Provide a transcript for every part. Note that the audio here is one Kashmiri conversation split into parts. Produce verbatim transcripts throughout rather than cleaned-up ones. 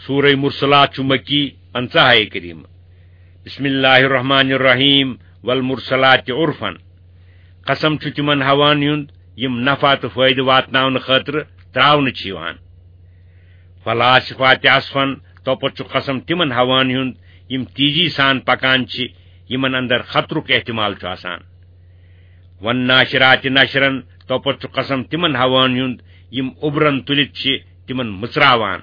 سورہ مرسلات چھُ مکی، پنژاہ آیہ کریمہ۔ بسم اللہ الرحمن الرحیم، والمرسلات عرفا۔ قسم چھُ تِمن ہوہن ہُنٛد یِم نفع تہٕ فٲیدٕ واتناونہٕ خٲطرٕ تراونہٕ چھِ یِوان۔ فالعاصفات عصفا، توپتہٕ چھُ قسم تِمن ہوہن ہُنٛد یِم تیزی سان پکان چھِ، یِمن اندر خطرُک احتمال چھُ آسان۔ والناشرات نشرا، توپتہٕ چھُ قسم تِمن ہوہن ہُنٛد یِم اُبرن تُلِتھ چھِ تِمن مٕژراوان،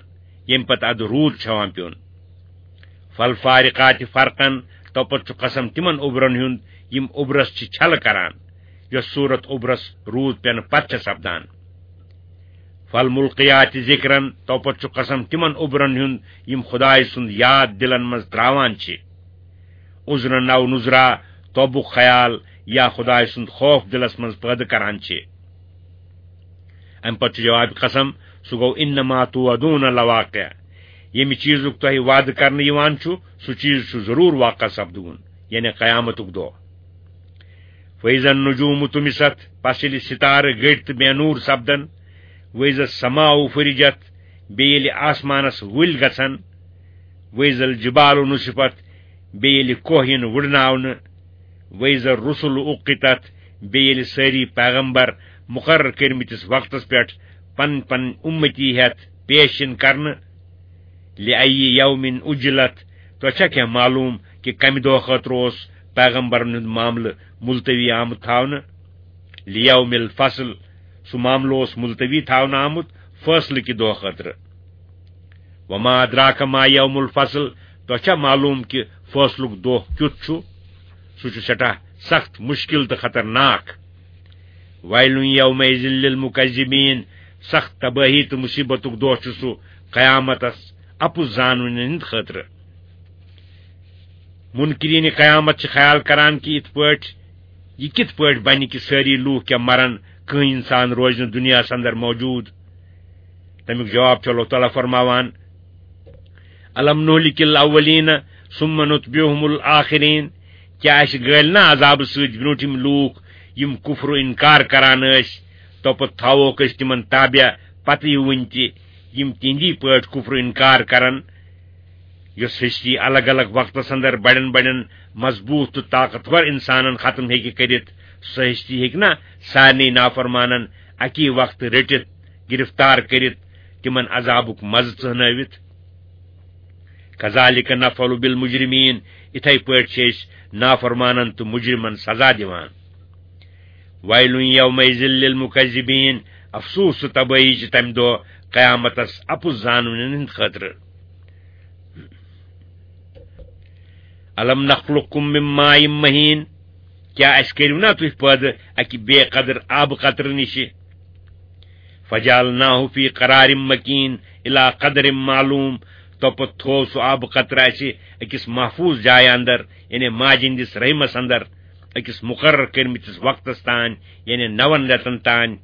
ییٚمہِ پتہٕ ادٕ روٗد چھُ ہٮ۪وان پیوٚن۔ فالفارقات فرقا، توپتہٕ چھُ قسم تِمن اُبرن ہُنٛد یِم اُبرس چھِ چھلہٕ کران، یۄس صورت اُبرس روٗد پٮ۪نہٕ پتہٕ چھےٚ سپدان۔ فالملقیات ذکرا، توپتہٕ چھُ قسم تِمن اُبرن ہُنٛد یِم خدایہِ سُنٛد یاد دِلن منٛز تراوان چھِ۔ عذرا او نذرا، توبُک خیال یا خدایہِ سُنٛد خوف دِلس منٛز پٲدٕ کران چھِ۔ امہِ پتہٕ چھُ جواب قسم، سُہ گوٚو انما توعدون لواقع، ییٚمہِ چیٖزُک تۄہہِ وعدٕ کرنہٕ یِوان چھُ، سُہ چیٖز چھُ ضروٗر واقع سپدوُن، یعنی قیامتُک دۄہ۔ فاذا النجوم طمست، پس ییٚلہِ ستارٕ گٔٹۍ تہٕ بے نوٗر سپدن، واذا السماء فرجت، بیٚیہِ ییٚلہِ آسمانس ؤلۍ گژھن، واذا الجبال نصفت، بیٚیہِ ییٚلہِ کوہ یِن وُڈناونہٕ، واذا الرسل اقتت، بیٚیہِ ییٚلہِ سٲری پیغمبر مقرر کٔرمٕتِس وقتس پٮ۪ٹھ پن پن امتی ہٮ۪تھ پیش یِن کرنہٕ، لأی یوم اجلت، تۄہہِ چھا کینٛہہ معلوم کہِ کمہِ دۄہ خٲطرٕ اوس پیغمبرن ہُنٛد معاملہٕ ملتوی آمُت تھاونہٕ؟ لیوم الفصل، سُہ معاملہٕ اوس ملتوی تھاونہٕ آمُت فٲصلہٕ کہِ دۄہ خٲطرٕ۔ وما ادراک ما یوم الفصل، تۄہہِ چھا معلوم کہِ فٲصلُک دۄہ کیُتھ چھُ؟ سُہ چھُ سٮ۪ٹھاہ سخت، مُشکِل تہٕ خطرناک۔ ویل یومئذ للمکذبین، سخت تبٲہی تہٕ مُصیبتُک دۄہ چھُ سُہ قیامتس اپُز زانوٕنٮ۪ن ہٕنٛدِ خٲطرٕ۔ منکرین قیامت چھِ خیال کران کہِ یِتھ پٲٹھۍ، یہِ کِتھ پٲٹھۍ بنہِ کہِ سٲری لوٗکھ کیٛاہ مرن، کٕہٕنۍ انسان روزِ نہٕ دُنیاہس اندر موجود؟ تمیُک جواب چھُ اللہ تعالیٰ فرماوان، الم نہلک الاولین ثم نتبعهم الآخرین، کیٛاہ اَسہِ گٲلۍ نہ عذابہٕ سۭتۍ برٛونٛٹھِم لوٗکھ یِم کفر و انکار کران ٲسۍ، توپتہٕ تھاووکھ أسۍ تِمن تابع پتہٕ یہِ وُنہِ تہِ یِم تِہنٛدی پٲٹھۍ کفر و انکار کرن؟ یۄس ہستی الگ الگ وقتس اندر بڑٮ۪ن بڑٮ۪ن مضبوط تہٕ طاقتور انسانن ختم ہیٚکہِ کٔرِتھ، سۄ ہستی ہیٚکہِ نا سارنٕے نافرمانن اکی وقتہٕ رٔٹِتھ، گرفتار کٔرِتھ، تِمن عذابُک مزٕ ژٕہنٲوِتھ؟ کذالک نفعل بالمجرمین، اِتھے پٲٹھۍ چھِ أسۍ نافرمانن تہٕ مجرمن سزا دِوان۔ ویل یومئذ للمکذبین، افسوس تہٕ تبٲہی چھِ تمہِ دۄہ قیامتس اپُز زانوٕنٮ۪ن ہٕنٛدِ خٲطرٕ۔ الم نخلقکم من ماء مہین، کیٛاہ اَسہِ کٔرِو نا تُہۍ پٲدٕ اَکہِ بے قدر آبہٕ قطرٕ نِشہِ؟ فجعلناه فی قرار مکین الی قدر معلوم، توپتہٕ تھوو سُہ آبہٕ قطرٕ اَسہِ أکِس محفوظ جایہِ اندر، یعنی ماجہِ ہٕنٛدِس رحمس اندر، أکِس مقرر کٔرمٕتِس وقتس تام، یعنی نون رٮ۪تن تام۔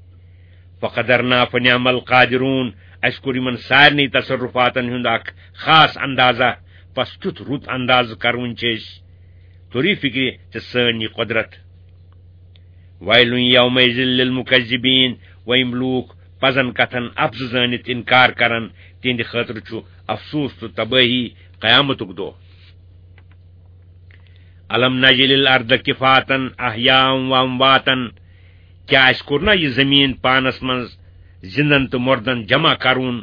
فقدرنا فنعم القادرون، اَسہِ کوٚر یِمن سارنٕے تصرفاتن ہُنٛد اکھ خاص اندازہ، پس کیُتھ رُت اندازٕ کرون چھِ أسۍ۔ توٚرُے فکرِ ژےٚ سٲنۍ یہِ قۄدرت؟ ویل یومئذ للمکذبین، و یِم لوٗکھ پزن کتھن اپزٕ زٲنِتھ انکار کرن، تِہنٛدِ خٲطرٕ چھُ افسوس تہٕ تبٲہی قیامتُک دۄہ۔ الم نجعل الارض کفاتا احیاء و امواتا، کیٛاہ اَسہِ کوٚر نا یہِ زٔمیٖن پانس منٛز زِندن تہٕ مردن جمع کرُن،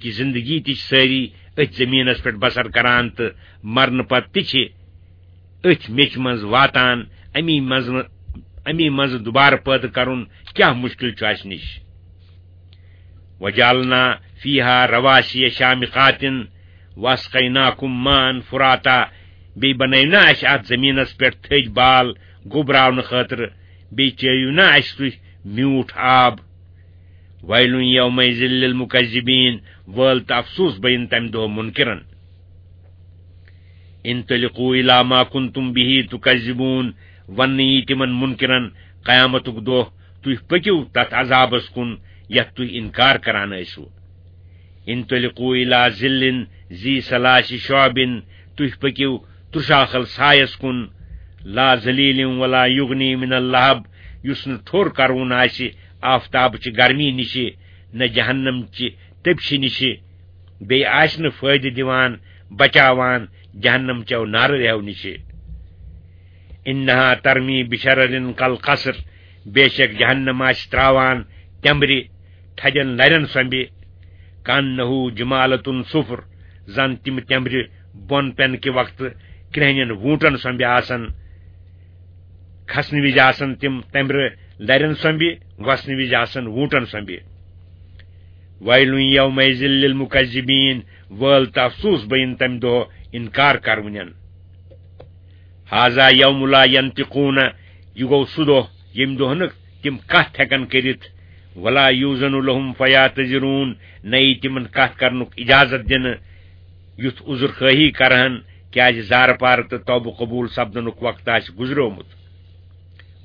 کہِ زندگی تہِ چھِ سٲری أتھۍ زٔمیٖنس پٮ۪ٹھ بسر کران تہٕ مرنہٕ پتہٕ تہِ چھِ أتھۍ میٚژِ منٛز واتان، اَمی منٛز، اَمی منٛزٕ دُبارٕ پٲدٕ کرُن کیٛاہ مُشکِل چھُ اَسہِ نِش؟ وجعلنا فیہا رواسی شامخات واسقیناکم ماء فراتا، بیٚیہِ بنٲوۍ نا اَسہِ اَتھ زٔمیٖنس پٮ۪ٹھ تھٔدۍ بال گوٚبراونہٕ خٲطرٕ، بیٚیہِ چٲوِو نا اَسہِ تُہۍ میوٗٹھ آب؟ ویل یومئذ للمکذبین، وٲل تہٕ افسوس بٔیِن تَمہِ دۄہ مُنکِرن۔ انطلقوا الی ما کنتم به تکذبون، وننہٕ یی تِمن مُنکِرن قیامتُک دۄہ، تُہۍ پٔکِو تتھ عذابس کُن یتھ تُہۍ انکار کران ٲسِو۔ انطلقوا الی ظل ذی ثلاث شعب، تُہۍ پٔکِو تُرشاخل سایس کُن، لا ذلیل ولا یغنی من اللہب، یُس نہٕ ٹھوٚر کرُن آسہِ آفتابچہِ گرمی نِشہِ، نہ جہنم چہِ تٔپشہِ نِشہِ۔ بیٚیہِ آسہِ نہٕ فٲیدٕ دِوان، بچاوان جہنم چٮ۪و نارٕ رٮ۪و نِشہِ۔ انہا ترمی بشرر کالقصر، بے شک جہنم آسہِ تراوان تٮ۪مبرِ تھدٮ۪ن لرٮ۪ن سۄمبہِ، کانہ جمالۃ صفر، زن تِم تٮ۪مبرِ بۄن پٮ۪نہٕ کہِ وقتہٕ کرٛہنٮ۪ن ووٗنٹن سۄمبہِ آسن۔ کھسنہٕ وِزِ آسن تِم تٮ۪مبرِ لرٮ۪ن سۄمبہِ، وسنہٕ وِزِ آسن ووٗنٹن سۄمبہِ۔ ویل یومئذ للمکذبین، وٲل تہٕ افسوس بین تمہِ دۄہ انکار کرونٮ۪ن۔ ھذا یوم لا ینطقون، یہِ گوٚو سُہ دۄہ ییٚمہِ دۄہ نہٕ تِم کتھ ہٮ۪کن کٔرِتھ۔ ولا یوزن لہم فیعتذرون، نہ یی تِمن کتھ کرنُک اجازت دِنہٕ، یُتھ عذر خٲہی کرہن، کیازِ زارٕ پارٕ تہٕ توبہٕ قبول سپدنُک وقت آسہِ گُزریومُت۔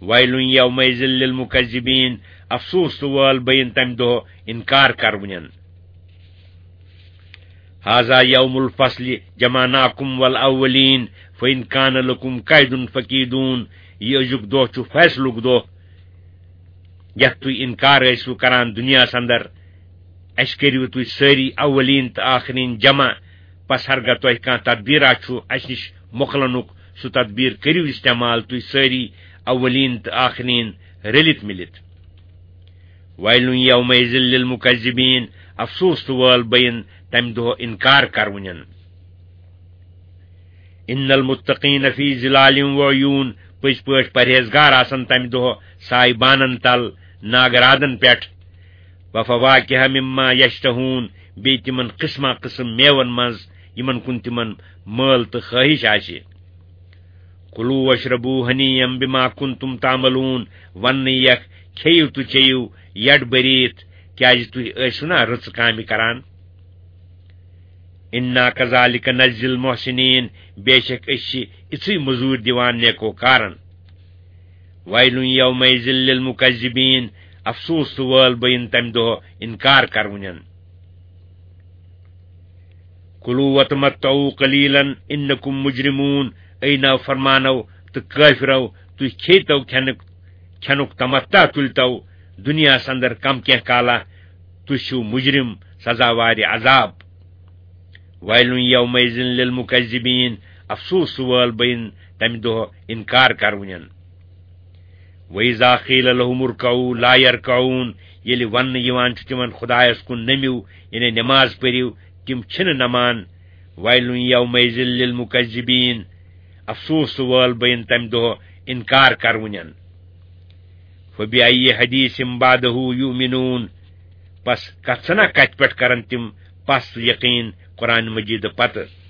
ویل یومئذ للمکذبین، افسوس تہٕ وٲل بین تمہِ دۄہ انکار کرونٮ۪ن۔ ھذا یوم الفصل جمعناکم والاولین فان کان لکم کید فکیدون، یہِ أزیُک دۄہ چھُ فیصلُک دۄہ، یتھ تُہۍ انکار ٲسِو کران دُنیاہس اندر۔ اسہِ کٔرِو تُہۍ سٲری اولین تہٕ آخرین جمع، پس ہرگاہ تۄہہِ کانٛہہ تدبیرا چھُ اسہِ نِش مۄکلنُک، سُہ تدبیر کٔرِو استعمال تُہۍ سٲری اولین تہٕ آخرین رٔلِتھ مِلِتھ۔ ویل یومئذ للمکذبین، افسوس تہٕ وٲل بین تمہِ دۄہ انکار کرونٮ۪ن۔ ان المتقین فی ظلال وعیون، پٔزۍ پٲٹھۍ پرہیزگار آسن تمہِ دۄہ سایہِ بانن تل، ناگہٕ رادن پٮ۪ٹھ۔ وفواکہ مما یشتہون، بیٚیہِ تِمن قسمہ قسم میوَن منٛز یِمن کُن تِمن مٲل تہٕ خٲہِش آسہِ۔ کلوا واشربوا ہنیئا بما کنتم تعملون، وننہٕ یکھ کھیٚیِو تہٕ چیٚیِو یڈ بٔرِتھ، کیازِ تُہۍ ٲسِو نا رٕژٕ کامہِ کران۔ انا کذالک نجزی المحسنین، بے شک أسۍ چھِ اِژھٕے مٔزوٗرۍ دِوان نیکوکارن۔ ویل یومئذ للمکذبین، افسوس تہٕ وٲل بین تمہِ دۄہ انکار کرونٮ۪ن۔ کلوا وتمتعوا قلیلا انکم مجرمون، اے نافرمانو تہٕ کٲفرو، تُہۍ کھیٚتو کھٮ۪نُک، کھٮ۪نُک تمتع تُلتو دُنیاہس اندر کم کینٛہہ کالا، تُہۍ چھِو مجرم، سزاوارِ عذاب۔ ویل یومئذ للمکذبین، افسوس تہٕ وٲل بین تمہِ دۄہ انکار کرونٮ۪ن۔ وَإِذَا قِيلَ لَهُمُ ارْكَعُوا لَا يَرْكَعُونَ، ییٚلہِ وننہٕ یِوان چھُ تِمن خدایس کُن نٔمِو، یعنی نماز پٔرِو، تِم چھِنہٕ نمان۔ وَيْلٌ يَوْمَئِذٍ لِلْمُكَذِّبِينَ، افسوس تہٕ وٲل بین تمہِ دۄہ انکار کرونٮ۪ن۔ فَبِأَيِّ حَدِيثٍ بَعْدَهُ يُؤْمِنُونَ، پس کتھ سنا کتھ پٮ۪ٹھ کرن تِم پس یقین قرآن مجید پتہٕ؟